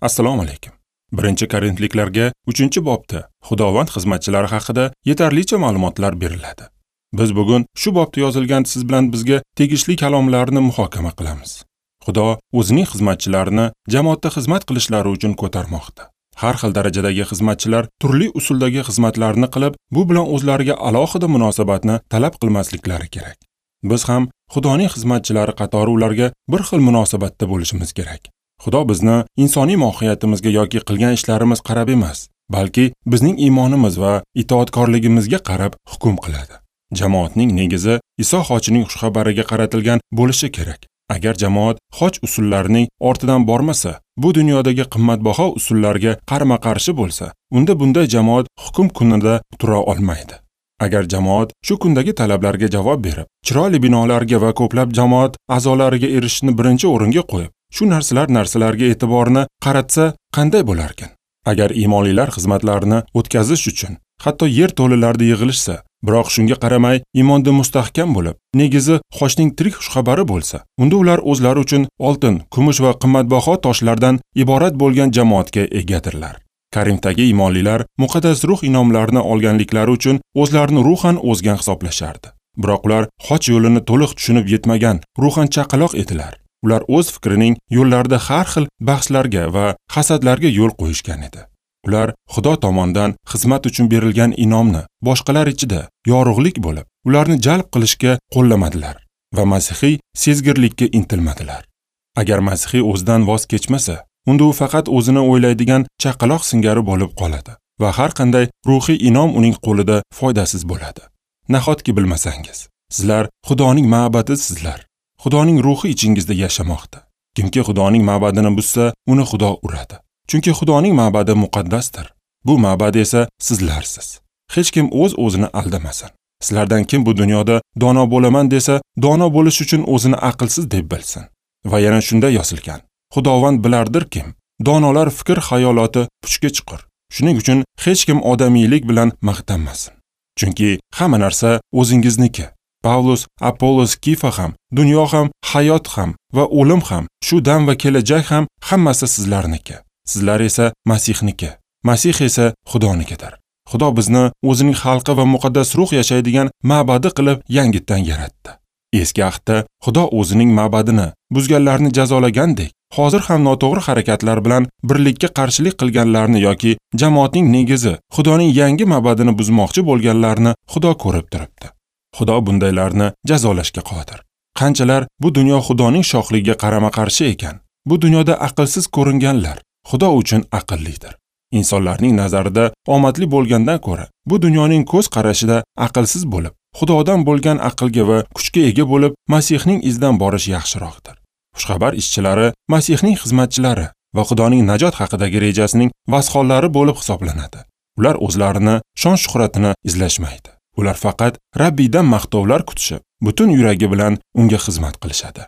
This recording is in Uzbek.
Assalomu alaykum. 1-Korinfliklarga 3-bobda Xudovand xizmatchilari haqida yetarlicha ma'lumotlar beriladi. Biz bugun shu bobda yozilgan siz bilan bizga tegishli kalomlarni muhokama qilamiz. Xudo o'zining xizmatchilarini jamoatda xizmat qilishlari uchun ko'tarmoqda. Har xil darajadagi xizmatchilar turli usuldagi xizmatlarni qilib, bu bilan o'zlariga alohida munosabatni talab qilmasliklari kerak. Biz ham Xudoning xizmatchilari qatori ularga bir xil munosabatda bo'lishimiz kerak. Xudo bizni insoniy mohiyatimizga yoki qilgan ishlarimiz qarab emas, balki bizning iymonimiz va itoatkorligimizga qarab hukm qiladi. Jamoatning negizi Iso xochining xushxabariga qaratilgan bo'lishi kerak. Agar jamoat xoch usullarining ortidan bormasa, bu dunyodagi qimmatbaho usullarga qarama-qarshi bo'lsa, unda bunday jamoat hukm kunida tura olmaydi. Agar jamoat shu kundagi talablarga javob berib, chiroyli binolarga va ko'plab jamoat a'zolariga erishishni birinchi o'ringa qo'yib, shu narsalarga e'tiborni qaratsa qanday bo'larkan? Agar iymonlilar xizmatlarini o'tkazish uchun hatto yer to'lalarida yig'ilishsa, biroq shunga qaramay iymonda mustahkam bo'lib, negizi xochning tirik xushxabari bo'lsa, unda ular o'zlari uchun oltin, kumush va qimmatbaho toshlardan iborat bo'lgan jamoatga egadirlar. Korinfdagi iymonlilar muqaddas ruh inomlarini olganliklari uchun o'zlarini ruhan o'zgan hisoblashardi. Biroq ular xoch yo'lini to'liq tushunib yetmagan, ruhan chaqaloq edilar. Ular o'z fikrining yo'llarida har xil bahslarga va hasadlarga yo'l qo'yishgan edi. Ular Xudo tomonidan xizmat uchun berilgan inomni boshqalar ichida yorug'lik bo'lib, ularni jalb qilishga qo'llamadilar va masihiy sezgirlikka intilmadilar. Agar masihiy o'zidan voz kechmasa, unda u faqat o'zini o'ylaydigan chaqaloq singari bo'lib qoladi va har qanday ruhiy inom uning qo'lida foydasiz bo'ladi. Nahotki bilmasangiz, sizlar Xudoning ma'badisizlar. Xudoning ruhi ichingizda yashamoqda. Kimki Xudoning ma'badini buzsa, uni Xudo uradi. Chunki Xudoning ma'badi muqaddasdir. Bu ma'bad esa sizlarsiz. Hech kim o'z-o'zini aldamasin. Sizlardan kim bu dunyoda dono bo'laman desa, dono bo'lish uchun o'zini aqlsiz deb bilsin. Va yana shunda yozilgan: Xudovand bilardir kim, donolar fikr xayoloti puchga chiqur. Shuning uchun hech kim odamiylik bilan maqtanmasin. Chunki hamma narsa o'zingizniki. Pavlus, Apollos, Kifa ham, dunyo ham, hayot ham va o'lim ham, shu dam va kelajak ham hammasi sizlarniki. Sizlar esa Masihniki. Masih esa Xudonikidir. Xudo bizni o'zining xalqi va muqaddas ruh yashaydigan ma'badi qilib yangitdan yaratdi. Eski ahdda Xudo o'zining ma'badini buzganlarni jazolagandek, hozir ham noto'g'ri harakatlar bilan birlikka qarshilik qilganlarni yoki jamoatning negizi Xudoning yangi ma'badini buzmoqchi bo'lganlarni Xudo ko'rib turibdi. Xudo bundaylarni jazolashga qodir. Qanchalar bu dunyo Xudoning shohligiga qarama-qarshi ekan, bu dunyoda aqlsiz ko'ringanlar Xudo uchun aqllidir. Insonlarning nazarida omadli bo'lgandan ko'ra, bu dunyoning ko'z qarashida aqlsiz bo'lib, Xudodan bo'lgan aqlga va kuchga ega bo'lib, Masihning izidan borish yaxshiroqdir. Xushxabar ishchilari Masihning xizmatchilari va Xudoning najot haqidagi rejasining vasxonlari bo'lib hisoblanadi. Ular o'zlarini shon-shuhratini izlashmaydi. Ular faqat Rabbiydan maqtovlar kutishib, butun yuragi bilan unga xizmat qilishadi.